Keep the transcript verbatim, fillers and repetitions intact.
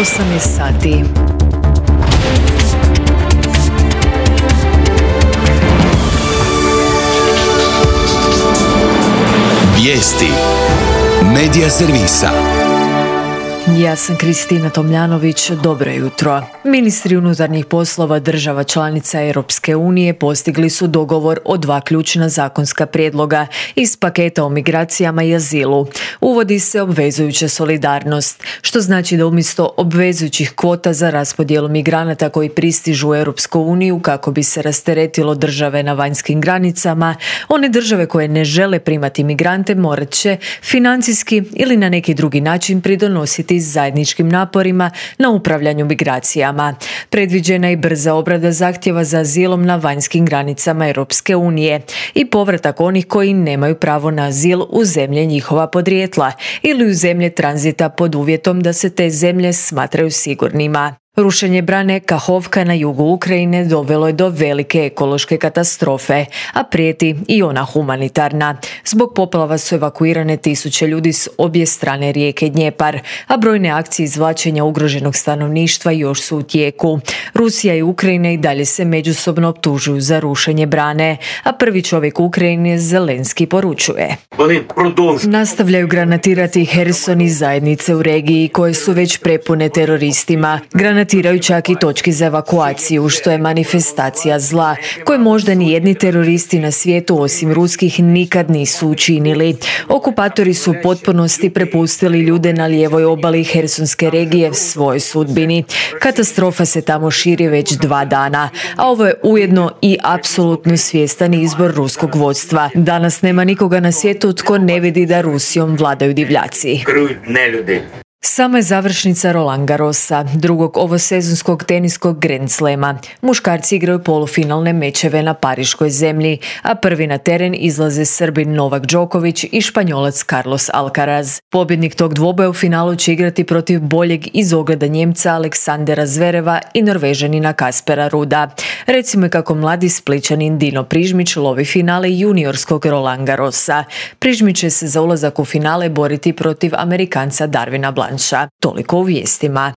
osamnaest sati. Vijesti Medija servisa. Ja sam Kristina Tomljanović, dobro jutro. Ministri unutarnjih poslova država članica Europske unije postigli su dogovor o dva ključna zakonska prijedloga iz paketa o migracijama i azilu. Uvodi se obvezujuća solidarnost, što znači da umjesto obvezujućih kvota za raspodjelu migranata koji pristižu u Europsku uniju kako bi se rasteretilo države na vanjskim granicama, one države koje ne žele primati migrante morat će financijski ili na neki drugi način pridonositi zajedničkim naporima na upravljanju migracijama. Predviđena je i brza obrada zahtjeva za azilom na vanjskim granicama Europske unije i povratak onih koji nemaju pravo na azil u zemlje njihova podrijetla ili u zemlje tranzita pod uvjetom da se te zemlje smatraju sigurnima. Rušenje brane Kahovka na jugu Ukrajine dovelo je do velike ekološke katastrofe, a prijeti i ona humanitarna. Zbog poplava su evakuirane tisuće ljudi s obje strane rijeke Dnjepar, a brojne akcije izvlačenja ugroženog stanovništva još su u tijeku. Rusija i Ukrajina i dalje se međusobno optužuju za rušenje brane, a prvi čovjek Ukrajine Zelenski poručuje: nastavljaju granatirati Herson i zajednice u regiji koje su već prepune teroristima. Granatiraju čak i točke za evakuaciju, što je manifestacija zla, koje možda ni jedni teroristi na svijetu osim ruskih nikad nisu učinili. Okupatori su u potpunosti prepustili ljude na lijevoj obali Hersonske regije svojoj sudbini. Katastrofa se tamo širi već dva dana, a ovo je ujedno i apsolutno svjestan izbor ruskog vodstva. Danas nema nikoga na svijetu tko ne vidi da Rusijom vladaju divljaci. Sama je završnica Roland Garrosa, drugog ovosezonskog teniskog Grand Slema. Muškarci igraju polufinalne mečeve na pariškoj zemlji, a prvi na teren izlaze Srbin Novak Đoković i Španjolac Carlos Alcaraz. Pobjednik tog dvoboja u finalu će igrati protiv boljeg iz ogleda Njemca Aleksandera Zvereva i Norvežanina Kaspera Ruda. Recimo je kako mladi Splićanin Dino Prižmić lovi finale juniorskog Roland Garrosa. Prižmić će se za ulazak u finale boriti protiv Amerikanca Darvina Blancha. Toliko u vijestima.